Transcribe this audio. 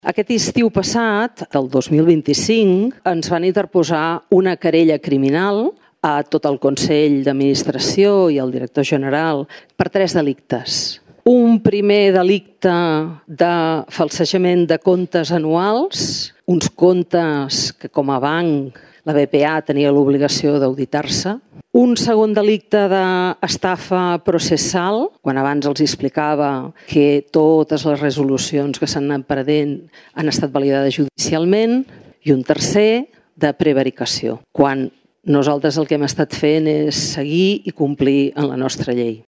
Aquest estiu passat, del 2025, ens van interposar una querella criminal a tot el Consell d'Administració i al director general per 3 delictes. Un primer delicte de falsejament de comptes anuals, uns comptes que com a banc la BPA tenia l'obligació d'auditar-se. Un segon delicte d'estafa processal, quan abans els explicava que totes les resolucions que s'han anat prenent han estat validades judicialment. I un tercer de prevaricació, quan nosaltres el que hem estat fent és seguir i complir en la nostra llei.